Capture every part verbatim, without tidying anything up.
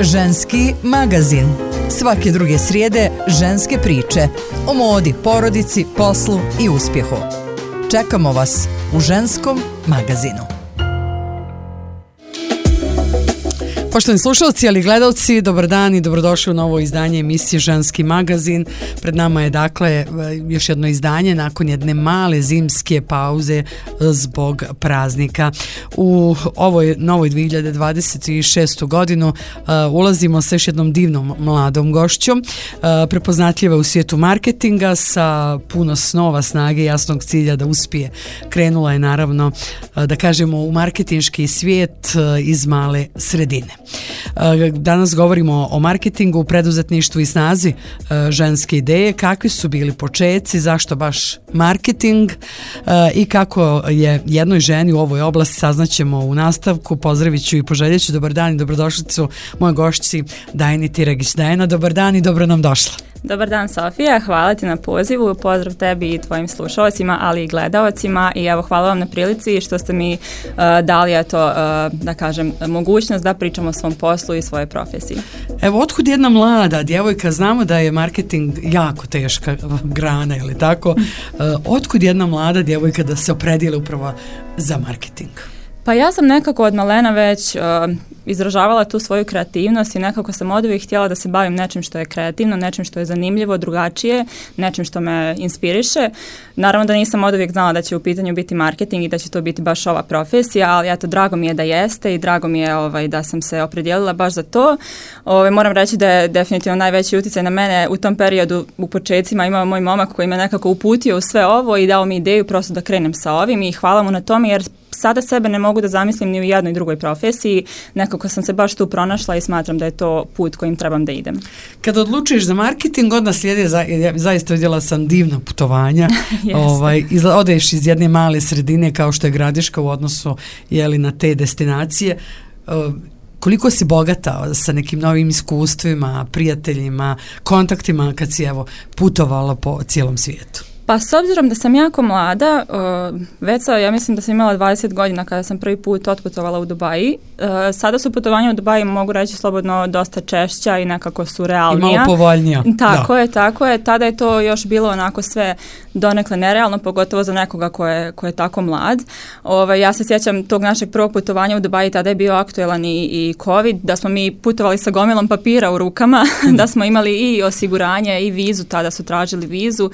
Ženski magazin. Svake druge srijede ženske priče o modi, porodici, poslu i uspjehu. Čekamo vas u Ženskom magazinu. Poštovani slušalci, ali gledalci, dobar dan i dobrodošli u novo izdanje emisije Ženski magazin. Pred nama je dakle još jedno izdanje nakon jedne male zimske pauze zbog praznika. U ovoj novoj dvije hiljade dvadeset šestu godinu uh, ulazimo sa još jednom divnom mladom gošćom, uh, prepoznatljiva u svijetu marketinga, sa puno snova, snage i jasnog cilja da uspije. Krenula je naravno, uh, da kažemo, u marketinški svijet uh, iz male sredine. Danas govorimo o marketingu, preduzetništvu i snazi ženske ideje, kakvi su bili počeci, zašto baš marketing i kako je jednoj ženi u ovoj oblasti saznaćemo u nastavku. Pozdravit ću i poželjet ću dobar dan i dobrodošlicu moje gošći Dajani Tiragić. Dajana, dobar dan i dobro nam došla. Dobar dan, Sofija, hvala ti na pozivu, pozdrav tebi i tvojim slušalcima, ali i gledalcima, i evo hvala vam na prilici što ste mi uh, dali eto, uh, da kažem, mogućnost da pričamo o svom poslu i svojoj profesiji. Evo, otkud jedna mlada djevojka, znamo da je marketing jako teška grana, ili tako, uh, otkud jedna mlada djevojka da se opredijeli upravo za marketing? Pa ja sam nekako od malena već uh, izražavala tu svoju kreativnost i nekako sam od uvijek htjela da se bavim nečim što je kreativno, nečim što je zanimljivo, drugačije, nečim što me inspiriše. Naravno da nisam od uvijek znala da će u pitanju biti marketing i da će to biti baš ova profesija, ali eto, drago mi je da jeste i drago mi je ovaj, da sam se opredijelila baš za to. Ovaj, moram reći da je definitivno najveći utjecaj na mene u tom periodu u početcima imao moj momak koji me nekako uputio u sve ovo i dao mi ideju prosto da krenem sa ovim i hvala mu na tome, jer sada sebe ne mogu da zamislim ni u jednoj drugoj profesiji, nekako sam se baš tu pronašla i smatram da je to put kojim trebam da idem. Kada odlučiš za marketing, onda slijede, za, zaista vidjela sam divna putovanja, ovaj, izla, odeš iz jedne male sredine kao što je Gradiška u odnosu jeli, na te destinacije. Uh, koliko si bogata sa nekim novim iskustvima, prijateljima, kontaktima kad si evo putovala po cijelom svijetu? Pa s obzirom da sam jako mlada, uh, već sa, ja mislim da sam imala dvadeset godina kada sam prvi put otputovala u Dubaji. Uh, sada su putovanja u Dubaji, mogu reći slobodno, dosta češća i nekako su realnija. I malo povoljnija. Tako da. je, tako je. Tada je to još bilo onako sve donekle nerealno, pogotovo za nekoga ko je, ko je tako mlad. Ove, ja se sjećam tog našeg prvog putovanja u Dubaji, tada je bio aktuelan i, i COVID, da smo mi putovali sa gomilom papira u rukama, da smo imali i osiguranje i vizu, tada su tražili vizu,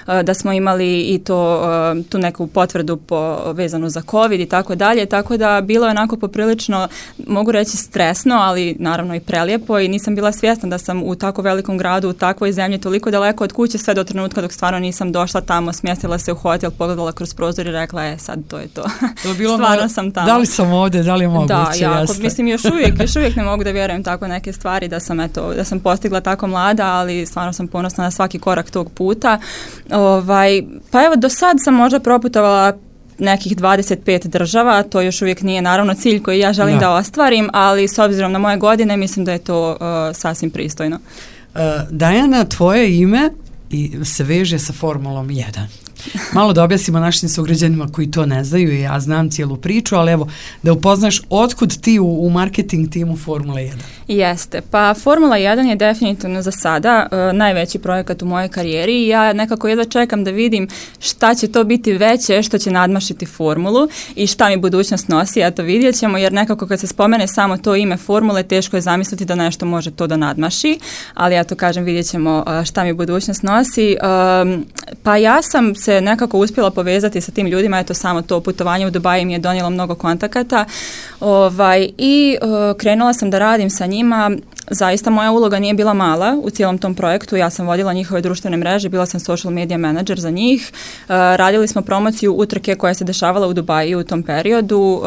uh, da smo imali i to, tu neku potvrdu po, vezanu za COVID i tako dalje, tako da bilo je onako poprilično, mogu reći, stresno, ali naravno i prelijepo, i nisam bila svjesna da sam u tako velikom gradu, u takvoj zemlji, toliko daleko od kuće, sve do trenutka dok stvarno nisam došla tamo, smjestila se u hotel, pogledala kroz prozor i rekla, e sad to je to. To bilo stvarno malo, sam tamo. Da li sam ovdje, da li je moguće? Da, jako, jeste. Mislim još uvijek, još uvijek ne mogu da vjerujem tako neke stvari, da sam, eto, da sam postigla tako mlada, ali stvarno sam ponosna na svaki korak tog puta. Ovaj, pa evo, do sad sam možda proputovala nekih dvadeset pet država, to još uvijek nije naravno cilj koji ja želim da, da ostvarim, ali s obzirom na moje godine mislim da je to uh, sasvim pristojno. Uh, Dajana, tvoje ime i se veže sa Formulom jedan. Malo da objasnimo našim sugrađanima koji to ne znaju, i ja znam cijelu priču, ali evo da upoznaš otkud ti u, u marketing timu Formula jedan. Jeste, pa Formula jedan je definitivno za sada uh, najveći projekat u mojoj karijeri i ja nekako jedva čekam da vidim šta će to biti veće što će nadmašiti Formulu i šta mi budućnost nosi, a to vidjet ćemo, jer nekako kad se spomene samo to ime Formule, teško je zamisliti da nešto može to da nadmaši, ali ja to kažem, vidjet ćemo uh, šta mi budućnost nosi. Um, pa ja sam se nekako uspjela povezati sa tim ljudima, eto samo to putovanje u Dubaji mi je donijelo mnogo kontakata, ovaj, i uh, krenula sam da radim sa njima. Zaista moja uloga nije bila mala u cijelom tom projektu, ja sam vodila njihove društvene mreže, bila sam social media manager za njih, uh, radili smo promociju utrke koja se dešavala u Dubaji u tom periodu, uh,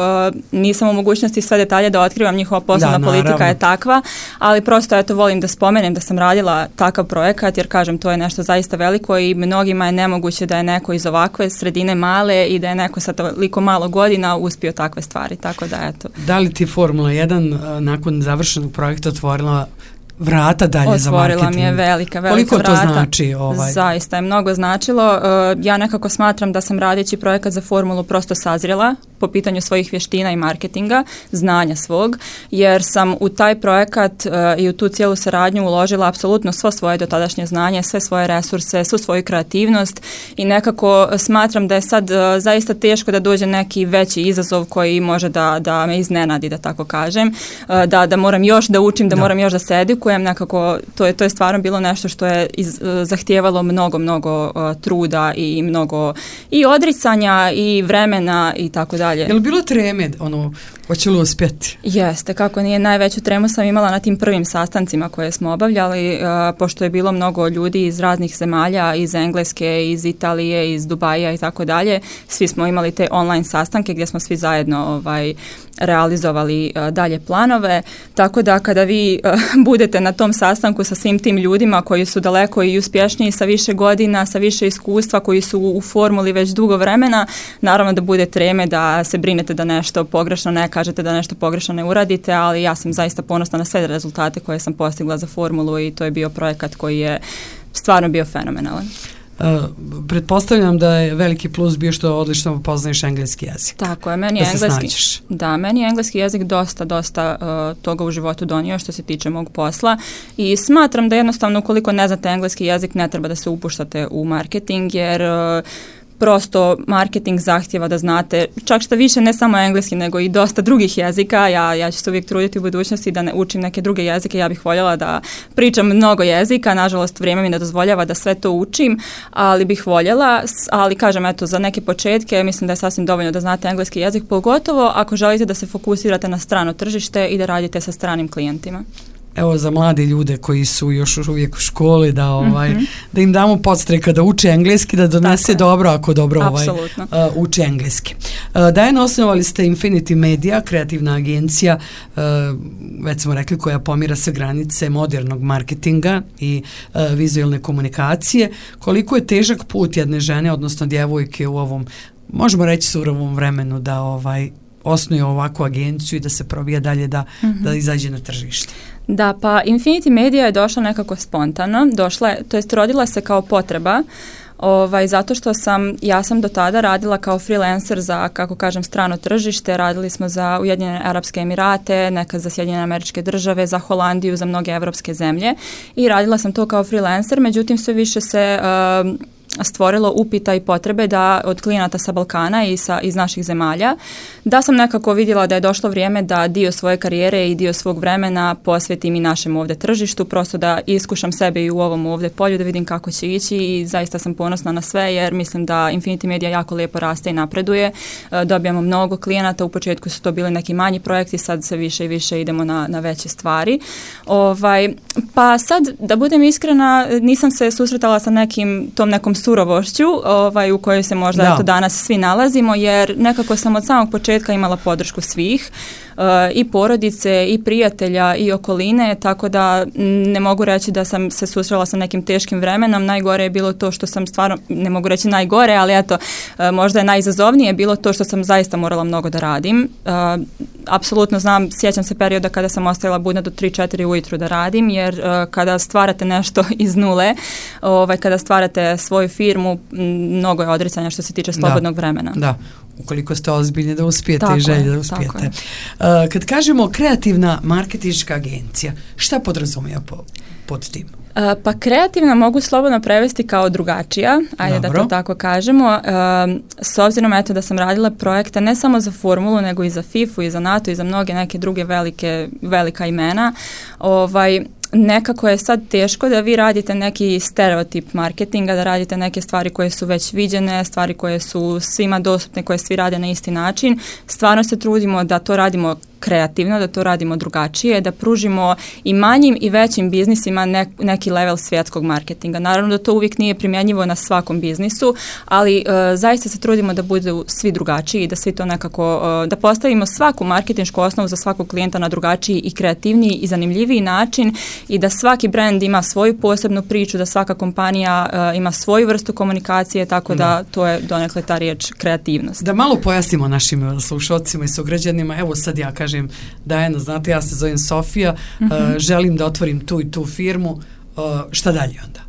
nisam u mogućnosti sve detalje da otkrivam, njihova poslovna da, politika je takva, ali prosto eto volim da spomenem da sam radila takav projekat, jer kažem, to je nešto zaista veliko i mnogima je nemoguće da je neko iz ovakve sredine male i da je neko sa toliko malo godina uspio takve stvari, tako da eto. Da li ti Formula jedan nakon završenog projekta otvorila vrata dalje otvorila za marketing. Otvorila mi je velika, velika Koliko vrata. to znači? Ovaj? Zaista je mnogo značilo. Ja nekako smatram da sam radeći projekat za formulu prosto sazrjela po pitanju svojih vještina i marketinga, znanja svog, jer sam u taj projekat uh, i u tu cijelu saradnju uložila apsolutno svo svoje dotadašnje znanje, sve svoje resurse, svu svoju kreativnost i nekako smatram da je sad uh, zaista teško da dođe neki veći izazov koji može da, da me iznenadi, da tako kažem, uh, da, da moram još da učim, da, da. moram još da se edukujem, nekako to je, to je stvarno bilo nešto što je iz, uh, zahtijevalo mnogo, mnogo uh, truda i mnogo i odricanja i vremena i tako dalje. Je li bilo treme, ono, hoće li uspjeti? Jeste, kako nije, najveću tremu sam imala na tim prvim sastancima koje smo obavljali, uh, pošto je bilo mnogo ljudi iz raznih zemalja, iz Engleske, iz Italije, iz Dubaja i tako dalje. Svi smo imali te online sastanke gdje smo svi zajedno ovaj, realizovali uh, dalje planove, tako da kada vi uh, budete na tom sastanku sa svim tim ljudima koji su daleko i uspješniji, sa više godina, sa više iskustva, koji su u formuli već dugo vremena, naravno da bude treme, da se brinete da nešto pogrešno ne kažete, da nešto pogrešno ne uradite, ali ja sam zaista ponosna na sve rezultate koje sam postigla za formulu i to je bio projekat koji je stvarno bio fenomenalan. Uh, pretpostavljam da je veliki plus bio što odlično poznaješ engleski jezik. Tako je, meni je engleski, da, meni je engleski jezik dosta, dosta uh, toga u životu donio što se tiče mog posla i smatram da jednostavno ukoliko ne znate engleski jezik ne treba da se upuštate u marketing jer uh, prosto marketing zahtjeva da znate čak što više ne samo engleski nego i dosta drugih jezika. Ja, ja ću se uvijek truditi u budućnosti da ne učim neke druge jezike. Ja bih voljela da pričam mnogo jezika. Nažalost, vrijeme mi ne dozvoljava da sve to učim, ali bih voljela. Ali kažem, eto, za neke početke mislim da je sasvim dovoljno da znate engleski jezik, pogotovo ako želite da se fokusirate na strano tržište i da radite sa stranim klijentima. Evo za mlade ljude koji su još uvijek u školi da ovaj mm-hmm. da im damo podstreka da uče engleski, da donese tako dobro ako dobro ovaj uh, uče engleski. Uh, Dajana, osnovali ste Infinity Media, kreativna agencija, uh, već smo rekli, koja pomira sve granice modernog marketinga i uh, vizualne komunikacije. Koliko je težak put jedne žene, odnosno djevojke u ovom, možemo reći, surovom vremenu da ovaj osnuje ovakvu agenciju i da se probija dalje da, mm-hmm. da izađe na tržište? Da, pa Infinity Media je došla nekako spontano, došla je, to jest rodila se kao potreba, ovaj, zato što sam, ja sam do tada radila kao freelancer za, kako kažem, strano tržište, radili smo za Ujedinjene Arapske Emirate, nekad za Sjedinjene Američke Države, za Holandiju, za mnoge evropske zemlje i radila sam to kao freelancer, međutim sve više se uh, stvorilo upita i potrebe da od klijenata sa Balkana i sa, iz naših zemalja, da sam nekako vidjela da je došlo vrijeme da dio svoje karijere i dio svog vremena posvetim i našem ovdje tržištu, prosto da iskušam sebe i u ovom ovdje polju, da vidim kako će ići i zaista sam ponosna na sve jer mislim da Infinity Media jako lijepo raste i napreduje. E, dobijamo mnogo klijenata, u početku su to bili neki manji projekti, sad se više i više idemo na, na veće stvari. Ovaj, pa sad, da budem iskrena, nisam se susretala sa nekim, tom nekom surovošću ovaj, u kojoj se možda eto, danas svi nalazimo, jer nekako sam od samog početka imala podršku svih, uh, i porodice, i prijatelja, i okoline, tako da ne mogu reći da sam se susrela sa nekim teškim vremenom. Najgore je bilo to što sam stvarno, ne mogu reći najgore, ali eto, uh, možda je najizazovnije bilo to što sam zaista morala mnogo da radim. Uh, apsolutno znam, sjećam se perioda kada sam ostajala budna do tri četiri ujutru da radim, jer uh, kada stvarate nešto iz nule, ovaj, kada stvarate svoju firmu, mnogo je odricanja što se tiče slobodnog da, vremena. Da, ukoliko ste ozbiljni da uspijete tako i želje je, da uspijete. Uh, kad kažemo kreativna marketinška agencija, šta podrazumijeva po, pod tim? Uh, pa kreativna mogu slobodno prevesti kao drugačija, ajde Dobro. da to tako kažemo. Uh, s obzirom eto da sam radila projekte ne samo za formulu, nego i za fifu i za NATO i za mnoge neke druge velike, velika imena, ovaj, nekako je sad teško da vi radite neki stereotip marketinga, da radite neke stvari koje su već viđene, stvari koje su svima dostupne, koje svi rade na isti način. Stvarno se trudimo da to radimo kreativno, da to radimo drugačije, da pružimo i manjim i većim biznisima ne, neki level svjetskog marketinga. Naravno da to uvijek nije primjenjivo na svakom biznisu, ali uh, zaista se trudimo da budu svi drugačiji i da svi to nekako, uh, da postavimo svaku marketinšku osnovu za svakog klijenta na drugačiji i kreativniji i zanimljiviji način i da svaki brand ima svoju posebnu priču, da svaka kompanija uh, ima svoju vrstu komunikacije, tako da, da to je donekle ta riječ kreativnost. Da malo pojasnimo našim slušalcima i sugrađanima, evo sad ja kažem kažem, Dajana, znate, ja se zovem Sofija, mm-hmm. uh, želim da otvorim tu i tu firmu, uh, šta dalje onda?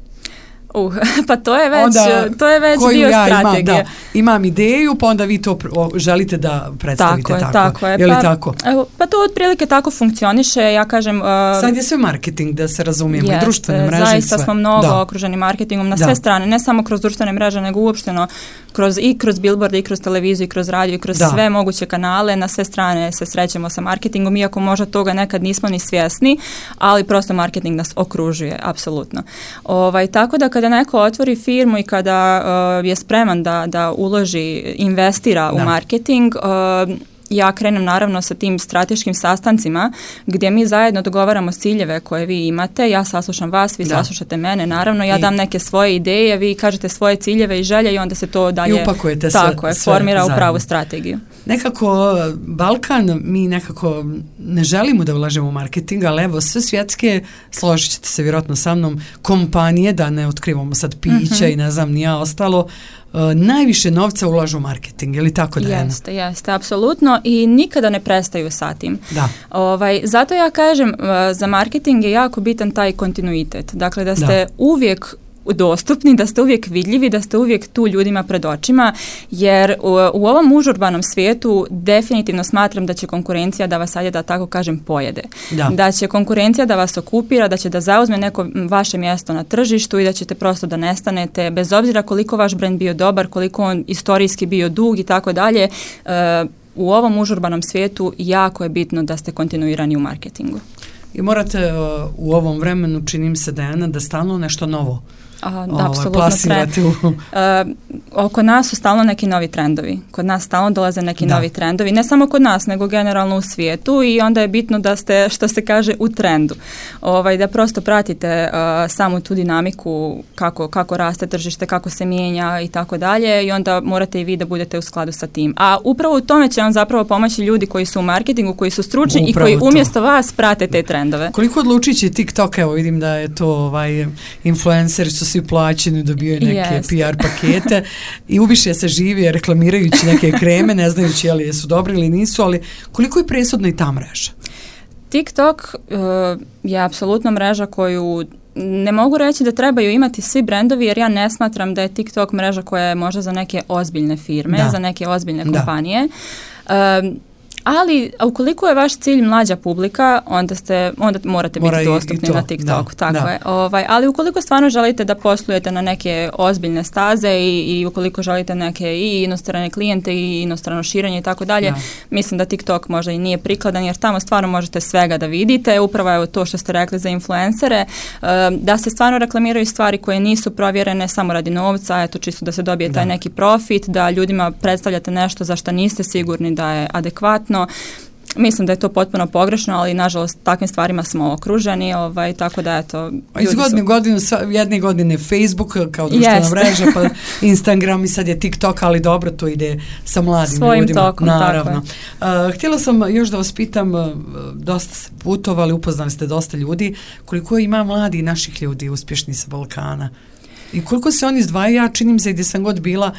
Uh, pa to je već, onda, to je već dio ja strategije. Imam, da, imam ideju, pa onda vi to želite da predstavite tako. Tako je, tako je. Je li pa, tako? Pa to otprilike tako funkcioniše, ja kažem... Uh, Sad je sve marketing, da se razumijemo, jest, i društvene mreže i sve. Zaista smo mnogo da. okruženi marketingom na da. sve strane, ne samo kroz društvene mreže, nego uopšteno kroz, i kroz billboarde, i kroz televiziju, i kroz radio, i kroz da. sve moguće kanale, na sve strane se srećemo sa marketingom, iako možda toga nekad nismo ni svjesni, ali prosto marketing nas okružuje, apsolutno. Ovaj, tako da kada neko otvori firmu i kada uh, je spreman da, da uloži, investira da. u marketing, uh, ja krenem naravno sa tim strateškim sastancima gdje mi zajedno dogovaramo ciljeve koje vi imate, ja saslušam vas, vi da. saslušate mene, naravno, ja I... dam neke svoje ideje, vi kažete svoje ciljeve i želje i onda se to dalje I upakujete tako sve, je, sve formira zajedno. u pravu strategiju. Nekako Balkan, mi nekako ne želimo da ulažemo u marketing, ali evo sve svjetske, složit ćete se vjerojatno sa mnom, kompanije, da ne otkrivamo sad pića mm-hmm. i ne znam nija ostalo, Uh, najviše novca ulažu u marketing, je li tako da je? Jeste, jeste, apsolutno i nikada ne prestaju sa tim. Da. Ovaj, zato ja kažem, uh, za marketing je jako bitan taj kontinuitet. Dakle, da ste da. uvijek dostupni, da ste uvijek vidljivi, da ste uvijek tu ljudima pred očima, jer u, u ovom užurbanom svijetu definitivno smatram da će konkurencija da vas, ajde da tako kažem, pojede. Da. da će konkurencija da vas okupira, da će da zauzme neko vaše mjesto na tržištu i da ćete prosto da nestanete, bez obzira koliko vaš brend bio dobar, koliko on istorijski bio dug i tako dalje. U ovom užurbanom svijetu jako je bitno da ste kontinuirani u marketingu. I morate uh, u ovom vremenu, činim se, Dejana, da stalno nešto novo Aha, da, apsolutno trend. Uh, oko nas su stalno neki novi trendovi. Kod nas stalno dolaze neki da. novi trendovi. Ne samo kod nas, nego generalno u svijetu i onda je bitno da ste, što se kaže, u trendu. Ovaj, da prosto pratite uh, samu tu dinamiku kako, kako raste tržište, kako se mijenja i tako dalje i onda morate i vi da budete u skladu sa tim. A upravo u tome će vam zapravo pomoći ljudi koji su u marketingu, koji su stručni upravo i koji to. umjesto vas prate te trendove. Koliko odlučići TikTok, evo vidim da je to ovaj, influenceri su svi plaćeni, dobijaju neke yes. P R pakete i ubiše se živi reklamirajući neke kreme, ne znajući je li su dobri ili nisu, ali koliko je presudna i ta mreža? TikTok uh, je apsolutno mreža koju ne mogu reći da trebaju imati svi brendovi, jer ja ne smatram da je TikTok mreža koja je možda za neke ozbiljne firme, da. za neke ozbiljne kompanije. Da. Um, Ali, ukoliko je vaš cilj mlađa publika, onda ste onda morate Mora biti dostupni na TikToku, da, tako da. je. Ovaj, ali ukoliko stvarno želite da poslujete na neke ozbiljne staze i, i ukoliko želite neke i inostrane klijente i inostrano širenje i tako dalje, mislim da TikTok možda i nije prikladan, jer tamo stvarno možete svega da vidite. Upravo je to što ste rekli za influencere, da se stvarno reklamiraju stvari koje nisu provjerene samo radi novca, eto čisto da se dobije taj da. neki profit, da ljudima predstavljate nešto za što niste sigurni da je adekvatno. Mislim da je to potpuno pogrešno, ali nažalost takvim stvarima smo okruženi, ovaj, tako da eto... Iz godine su... godinu, jedne godine Facebook kao društvena yes. mreža, pa Instagram i sad je TikTok, ali dobro, to ide sa mladim Svojim ljudima. Tokom, naravno. Uh, htjela sam još da vas pitam, uh, dosta ste putovali, upoznali ste dosta ljudi, koliko ima mladi naših ljudi uspješni sa Balkana? I koliko se oni izdvajaju, ja činim se gdje sam god bila,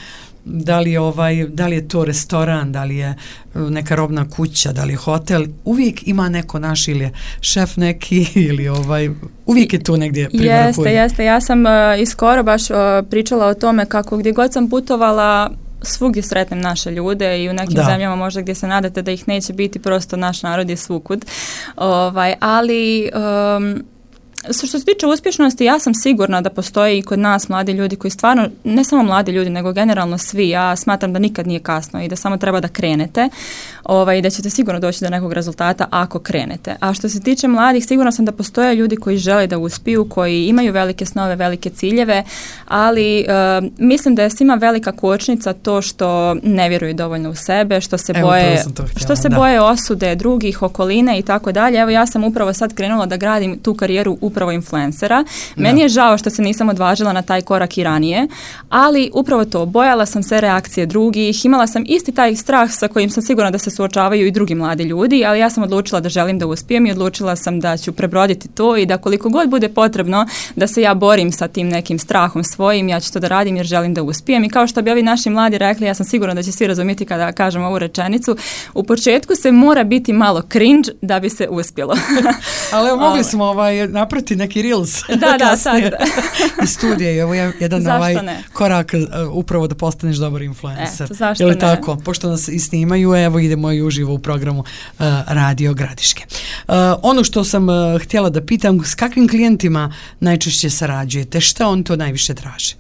da li, ovaj, da li je to restoran, da li je neka robna kuća, da li je hotel, uvijek ima neko naš ili je šef neki ili ovaj, uvijek je tu negdje privrhuje. Jeste, jeste. Ja sam uh, i skoro baš uh, pričala o tome kako gdje god sam putovala svugdje sretnem naše ljude i u nekim da. zemljama možda gdje se nadate da ih neće biti, prosto naš narod je svukud. Ovaj, ali... Um, Što se tiče uspješnosti, ja sam sigurna da postoje i kod nas mladi ljudi koji stvarno, ne samo mladi ljudi, nego generalno svi, ja smatram da nikad nije kasno i da samo treba da krenete ovaj, i da ćete sigurno doći do nekog rezultata ako krenete. A što se tiče mladih, sigurna sam da postoje ljudi koji žele da uspiju, koji imaju velike snove, velike ciljeve, ali uh, mislim da je svima velika kočnica to što ne vjeruju dovoljno u sebe, što se Evo, boje, htjela, što se da. boje osude drugih, okoline i tako dalje. Evo ja sam upravo sad krenula da gradim tu karijeru upravo upravo influencera. Meni je žao što se nisam odvažila na taj korak i ranije, ali upravo to, bojala sam se reakcije drugih, imala sam isti taj strah sa kojim sam sigurna da se suočavaju i drugi mladi ljudi, ali ja sam odlučila da želim da uspijem i odlučila sam da ću prebroditi to i da koliko god bude potrebno da se ja borim sa tim nekim strahom svojim, ja ću to da radim jer želim da uspijem. I kao što bi ovi naši mladi rekli, ja sam sigurna da će svi razumjeti kada kažem ovu rečenicu, u početku se mora biti malo cringe da bi se uspjelo. Ali evo, mogli smo ovaj, naprati neki reels da, da, sad. iz studija i ovo je jedan ovaj korak uh, upravo da postaneš dobar influencer. Eto, zašto je li ne? tako? Pošto nas i snimaju, evo idemo i uživo u programu uh, Radio Gradiške. Uh, ono što sam uh, htjela da pitam, s kakvim klijentima najčešće sarađujete? Šta on to najviše traži?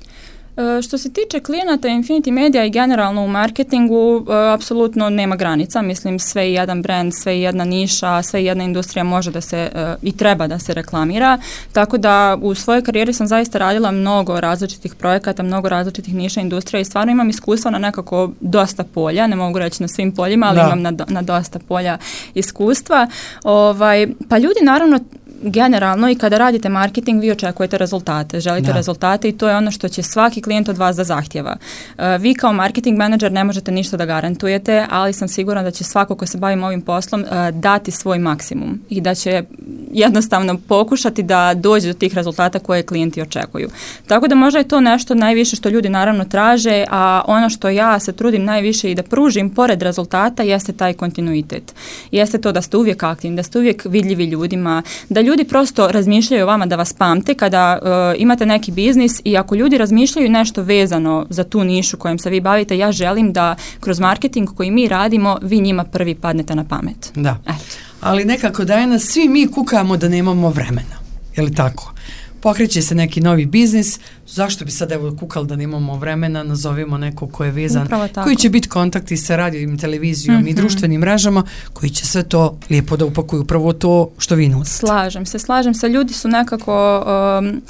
Što se tiče klijenata Infinity Media i generalno u marketingu, apsolutno nema granica. Mislim, sve i jedan brand, sve i jedna niša, sve i jedna industrija može da se i treba da se reklamira. Tako da u svojoj karijeri sam zaista radila mnogo različitih projekata, mnogo različitih niša industrija i stvarno imam iskustva na nekako dosta polja. Ne mogu reći na svim poljima, ali da. imam na, na dosta polja iskustva. Ovaj, pa ljudi naravno generalno i kada radite marketing vi očekujete rezultate, želite da. rezultate i to je ono što će svaki klijent od vas da zahtjeva. Uh, vi kao marketing menadžer ne možete ništa da garantujete, ali sam sigurna da će svako ko se bavi ovim poslom uh, dati svoj maksimum i da će jednostavno pokušati da dođe do tih rezultata koje klijenti očekuju. Tako da možda je to nešto najviše što ljudi naravno traže, a ono što ja se trudim najviše i da pružim pored rezultata jeste taj kontinuitet. Jeste to da ste uvijek aktivni, da ste uvijek vidljivi ljudima, da ljudi prosto razmišljaju o vama, da vas pamte kada uh, imate neki biznis i ako ljudi razmišljaju nešto vezano za tu nišu kojom se vi bavite, ja želim da kroz marketing koji mi radimo, vi njima prvi padnete na pamet. Da, Eto. ali nekako danas svi mi kukamo da nemamo vremena, je li tako? Pokreće se neki novi biznis, zašto bi sad evo kukali da nemamo vremena, nazovimo neko ko je vezan, koji će biti kontakti sa radijom, televizijom mm-hmm. i društvenim mrežama, koji će sve to lijepo da upakuju, upravo to što vi nudite. Slažem se, slažem se, ljudi su nekako... Um,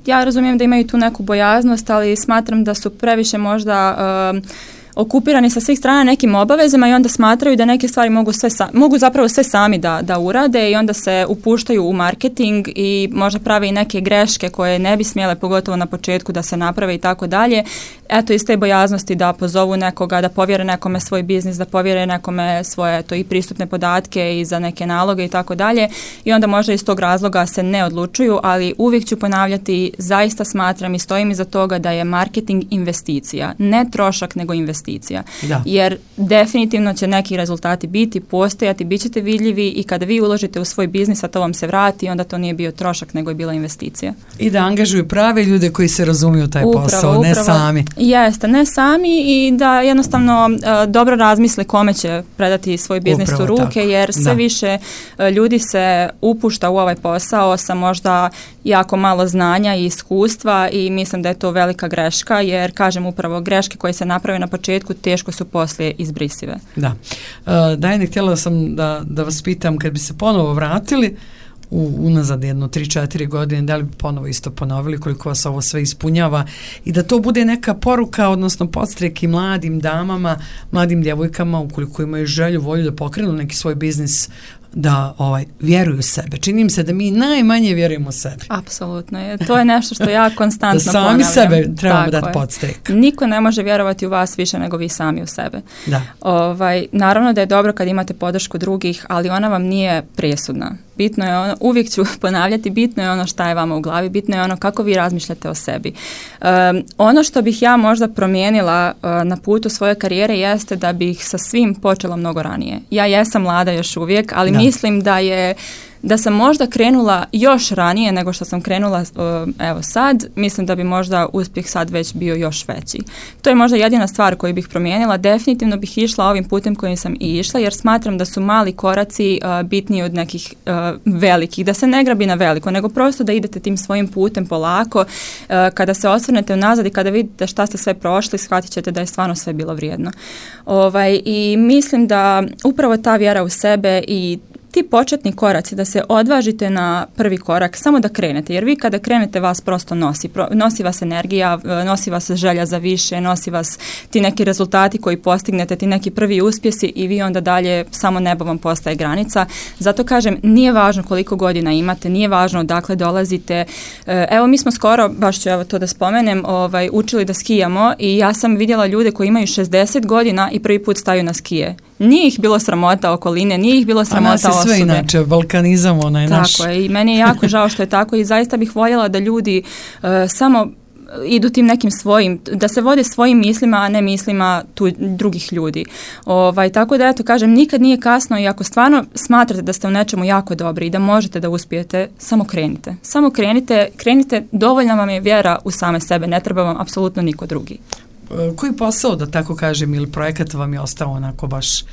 ja razumijem da imaju tu neku bojaznost, ali smatram da su previše možda... Um, okupirani sa svih strana nekim obavezama i onda smatraju da neke stvari mogu, sve sa, mogu zapravo sve sami da, da urade i onda se upuštaju u marketing i možda prave i neke greške koje ne bi smjele, pogotovo na početku, da se naprave i tako dalje. Eto, iz te bojaznosti da pozovu nekoga, da povjere nekome svoj biznis, da povjere nekome svoje to i pristupne podatke i za neke naloge i tako dalje i onda možda iz tog razloga se ne odlučuju, ali uvijek ću ponavljati, zaista smatram i stojim iza toga da je marketing investicija, ne trošak nego investicija. Da. Jer definitivno će neki rezultati biti, postojati, bit ćete vidljivi i kada vi uložite u svoj biznis, a to vam se vrati, onda to nije bio trošak, nego je bila investicija. I da angažuju prave ljude koji se razumiju taj upravo, posao, upravo. ne sami. Jeste, ne sami i da jednostavno uh, dobro razmisle kome će predati svoj biznis upravo u ruke, tako. jer sve da. više uh, ljudi se upušta u ovaj posao sa možda jako malo znanja i iskustva i mislim da je to velika greška, jer kažem upravo greške koje se naprave na početku teško su poslije izbrisive. Da. Uh, Dajane, htjela sam da, da vas pitam, kad bi se ponovo vratili u, unazad jedno tri četiri godine, da li bi ponovo isto ponovili, koliko vas ovo sve ispunjava i da to bude neka poruka, odnosno podstrek i mladim damama, mladim djevojkama, ukoliko imaju želju, volju da pokrenu neki svoj biznis, da ovaj vjeruju u sebe. Čini mi se da mi najmanje vjerujemo u sebe. Apsolutno. Je. To je nešto što ja konstantno da sami ponavljam. sebe trebamo dati podstrek. Niko ne može vjerovati u vas više nego vi sami u sebe. Da. Ovaj, naravno da je dobro kad imate podršku drugih, ali ona vam nije presudna. Bitno je ono, uvijek ću ponavljati, bitno je ono šta je vama u glavi, bitno je ono kako vi razmišljate o sebi. Um, ono što bih ja možda promijenila uh, na putu svoje karijere jeste da bih sa svim počela mnogo ranije. Ja jesam mlada još uvijek, ali da. mislim da je da sam možda krenula još ranije nego što sam krenula uh, evo sad, mislim da bi možda uspjeh sad već bio još veći. To je možda jedina stvar koju bih promijenila. Definitivno bih išla ovim putem kojim sam i išla, jer smatram da su mali koraci uh, bitniji od nekih uh, velikih, da se ne grabi na veliko, nego prosto da idete tim svojim putem polako. Uh, kada se osvrnete unazad i kada vidite šta ste sve prošli, shvatit ćete da je stvarno sve bilo vrijedno. Ovaj, i mislim da upravo ta vjera u sebe i ti početni koraci, da se odvažite na prvi korak, samo da krenete, jer vi kada krenete vas prosto nosi, pro, nosi vas energija, nosi vas želja za više, nosi vas ti neki rezultati koji postignete, ti neki prvi uspjesi i vi onda dalje samo nebo vam postaje granica. Zato kažem, nije važno koliko godina imate, nije važno odakle dolazite. Evo mi smo skoro, baš ću evo to da spomenem, ovaj, učili da skijamo i ja sam vidjela ljude koji imaju šezdeset godina i prvi put staju na skije. Nije ih bilo sramota okoline, nije ih bilo sramota osobe. A nas je sve inače, balkanizam onaj naš. Tako je, i meni je jako žao što je tako i zaista bih voljela da ljudi uh, samo idu tim nekim svojim, da se vode svojim mislima, a ne mislima tu drugih ljudi. Ovaj, tako da, eto, kažem, nikad nije kasno i ako stvarno smatrate da ste u nečemu jako dobri i da možete da uspijete, samo krenite. Samo krenite, krenite, dovoljna vam je vjera u same sebe, ne treba vam apsolutno niko drugi. Koji posao, da tako kažem, ili projekat vam je ostao onako baš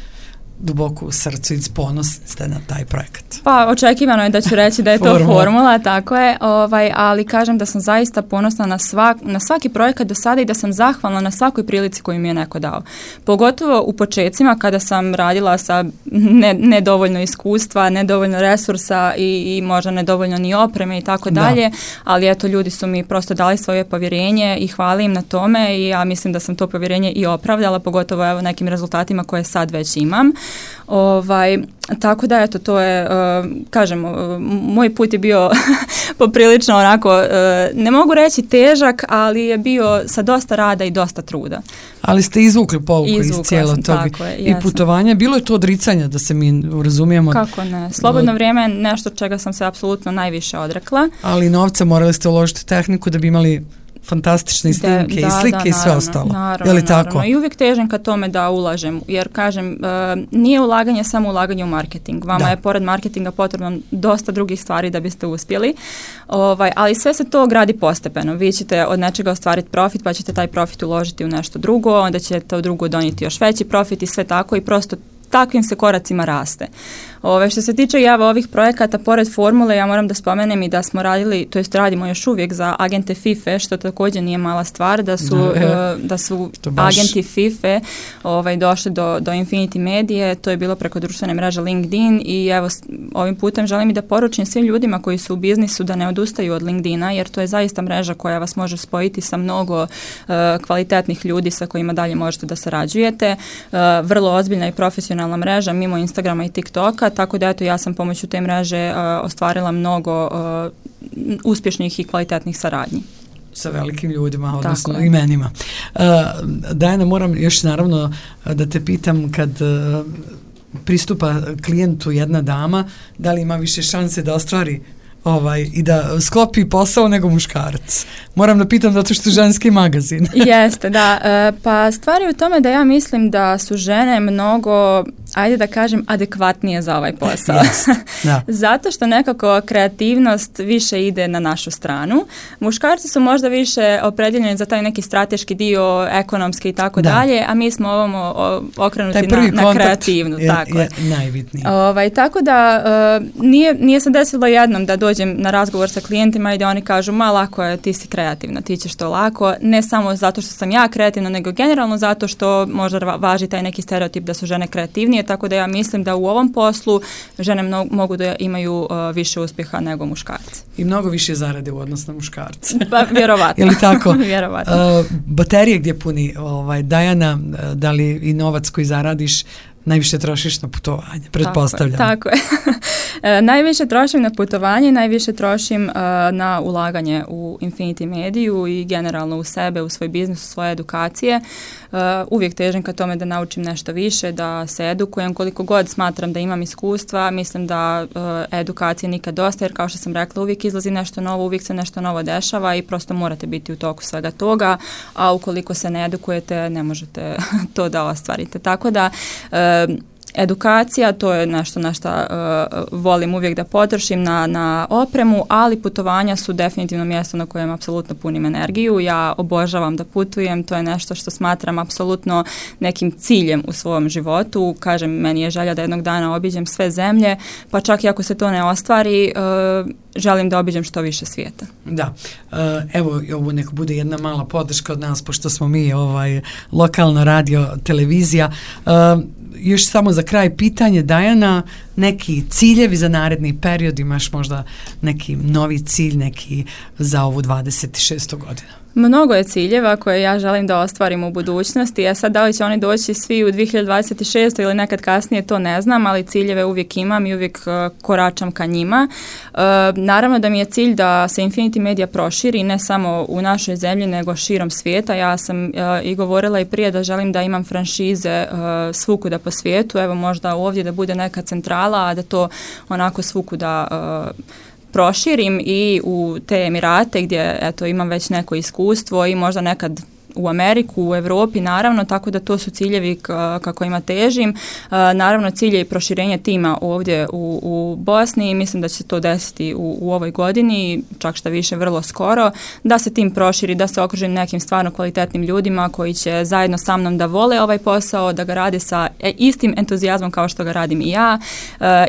duboko u srcu i ponosni ste na taj projekat? Pa očekivano je da ću reći da je to formula, formula tako je, ovaj, ali kažem da sam zaista ponosna na, svak, na svaki projekat do sada i da sam zahvalna na svakoj prilici koju mi je neko dao. Pogotovo u počecima kada sam radila sa ne, nedovoljno iskustva, nedovoljno resursa i, i možda nedovoljno ni opreme i tako dalje, ali eto ljudi su mi prosto dali svoje povjerenje i hvala im na tome i ja mislim da sam to povjerenje i opravdala, pogotovo evo nekim rezultatima koje sad već imam. Ovaj, tako da eto to je, uh, kažem, uh, moj put je bio poprilično onako, uh, ne mogu reći težak, ali je bio sa dosta rada i dosta truda. Ali ste izvukli pouku iz cijelo toga i putovanja, bilo je to odricanja da se mi razumijemo. Kako ne, slobodno vrijeme je nešto čega sam se apsolutno najviše odrekla. Ali novca morali ste uložiti tehniku da bi imali fantastične snimke i slike da, i sve naravno, ostalo. Naravno, je li tako? Naravno. I uvijek težim ka tome da ulažem, jer kažem, uh, nije ulaganje samo ulaganje u marketing. Vama da. je pored marketinga potrebno dosta drugih stvari da biste uspjeli, ovaj, ali sve se to gradi postepeno. Vi ćete od nečega ostvariti profit, pa ćete taj profit uložiti u nešto drugo, onda će to drugo donijeti još veći profit i sve tako i prosto takvim se koracima raste. Ove, što se tiče java ovih projekata, pored formule, ja moram da spomenem i da smo radili, to jest radimo još uvijek za agente FIFA, što također nije mala stvar, da su, no, e, da su agenti FIFA ovaj, došli do, do Infinity Medije, to je bilo preko društvene mreže LinkedIn i evo ovim putem želim i da poručim svim ljudima koji su u biznisu da ne odustaju od LinkedIna, jer to je zaista mreža koja vas može spojiti sa mnogo uh, kvalitetnih ljudi sa kojima dalje možete da sarađujete. Uh, vrlo ozbiljna i profesionalna mreža mimo Instagrama i TikToka, tako da eto ja sam pomoću te mreže uh, ostvarila mnogo uh, uspješnih i kvalitetnih saradnji. Sa velikim ljudima, odnosno imenima. Uh, Dajana, moram još naravno da te pitam kad uh, pristupa klijentu jedna dama, da li ima više šanse da ostvari ovaj, i da sklopi posao nego muškarac. Moram da pitam zato što je ženski magazin. Jeste, da. E, pa stvar je u tome da ja mislim da su žene mnogo, ajde da kažem, adekvatnije za ovaj posao. Yes, da. Zato što nekako kreativnost više ide na našu stranu. Muškarci su možda više opredjeljeni za taj neki strateški dio, ekonomski i tako da. dalje, a mi smo ovamo okrenuti na, na kreativnu. Je, tako je najbitniji. Ovaj, tako da uh, nije, nije se desilo jednom da dođem na razgovor sa klijentima i da oni kažu ma lako je, ti si kreativna, ti ćeš to lako, ne samo zato što sam ja kreativna, nego generalno zato što možda važi taj neki stereotip da su žene kreativnije, tako da ja mislim da u ovom poslu žene mno, mogu da imaju uh, više uspjeha nego muškarci. I mnogo više zarade u odnosu na muškarce. Pa vjerovatno. Je li tako? Vjerovatno. Uh, baterije gdje puni ovaj, Dajana, da li i novac koji zaradiš najviše trošiš na putovanje, pretpostavljam. Tako je. Tako je. e, najviše trošim na putovanje, najviše trošim uh, na ulaganje u Infinity Mediju i generalno u sebe, u svoj biznis, u svoje edukacije. Uh, uvijek težim ka tome da naučim nešto više, da se edukujem koliko god smatram da imam iskustva. Mislim da uh, edukacije nikad dosta, jer kao što sam rekla, uvijek izlazi nešto novo, uvijek se nešto novo dešava i prosto morate biti u toku svega toga, a ukoliko se ne edukujete, ne možete to da ostvarite. Tako da uh, edukacija, to je nešto na što uh, volim uvijek da potrošim na, na opremu, ali putovanja su definitivno mjesto na kojem apsolutno punim energiju. Ja obožavam da putujem, to je nešto što smatram apsolutno nekim ciljem u svom životu. Kažem, meni je želja da jednog dana obiđem sve zemlje, pa čak i ako se to ne ostvari, uh, želim da obiđem što više svijeta. Da, uh, evo ovo neko bude jedna mala podrška od nas, pošto smo mi ovaj lokalna radio televizija. Uh, još samo za kraj pitanje, Dajana, neki ciljevi za naredni period, imaš možda neki novi cilj, neki za ovu dvadeset šestu godinu? Mnogo je ciljeva koje ja želim da ostvarim u budućnosti, a sad da li će oni doći svi u dvije hiljade dvadeset šestoj ili nekad kasnije, to ne znam, ali ciljeve uvijek imam i uvijek uh, koračam ka njima. Uh, naravno da mi je cilj da se Infinity Media proširi ne samo u našoj zemlji nego širom svijeta. Ja sam uh, i govorila i prije da želim da imam franšize uh, svukuda po svijetu, evo možda ovdje da bude neka centrala, a da to onako svukuda uh, proširim i u te Emirate gdje eto imam već neko iskustvo i možda nekad u Ameriku, u Europi naravno, tako da to su ciljevi kako ima težim. Naravno cilj je i proširenje tima ovdje u, u Bosni i mislim da će se to desiti u, u ovoj godini, čak šta više vrlo skoro, da se tim proširi, da se okružim nekim stvarno kvalitetnim ljudima koji će zajedno sa mnom da vole ovaj posao, da ga rade sa istim entuzijazmom kao što ga radim i ja,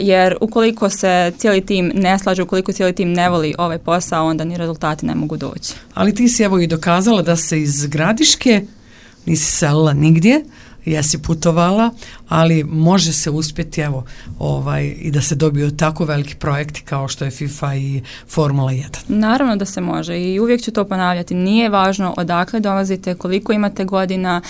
jer ukoliko se cijeli tim ne slaže, ukoliko cijeli tim ne voli ovaj posao, onda ni rezultati ne mogu doći. Ali ti si evo i dokazala da se iz Gradiške nisi selila nigdje, jesi putovala, ali može se uspjeti evo ovaj i da se dobiju tako veliki projekti kao što je FIFA i Formula jedan. Naravno da se može i uvijek ću to ponavljati. Nije važno odakle dolazite, koliko imate godina,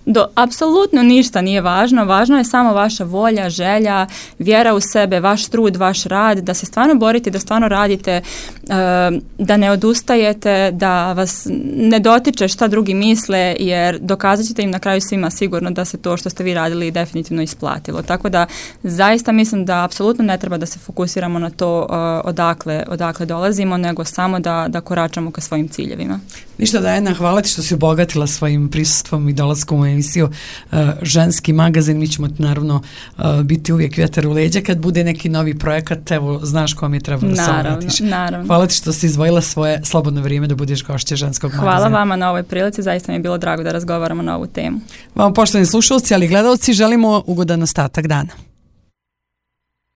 do apsolutno ništa nije važno, važno je samo vaša volja, želja, vjera u sebe, vaš trud, vaš rad, da se stvarno borite, da stvarno radite, da ne odustajete, da vas ne dotiče šta drugi misle, jer dokazat ćete im na kraju svima sigurno da se to što ste vi radili definitivno isplatilo. Tako da zaista mislim da apsolutno ne treba da se fokusiramo na to odakle, odakle dolazimo, nego samo da, da koračamo ka svojim ciljevima. Ništa, Dajana, hvala ti što si obogatila svojim prisustvom i dolaskom u emisiju uh, Ženski magazin. Mi ćemo naravno uh, biti uvijek vjetar u leđa kad bude neki novi projekat, evo znaš kom je treba da se obratiš. Naravno. Hvala ti što si izdvojila svoje slobodno vrijeme da budeš gošća Ženskog Hvala magazina. Hvala vama na ovoj prilici, zaista mi je bilo drago da razgovaramo na ovu temu. Vam poštovani slušalci, ali i gledalci, želimo ugodan ostatak dana.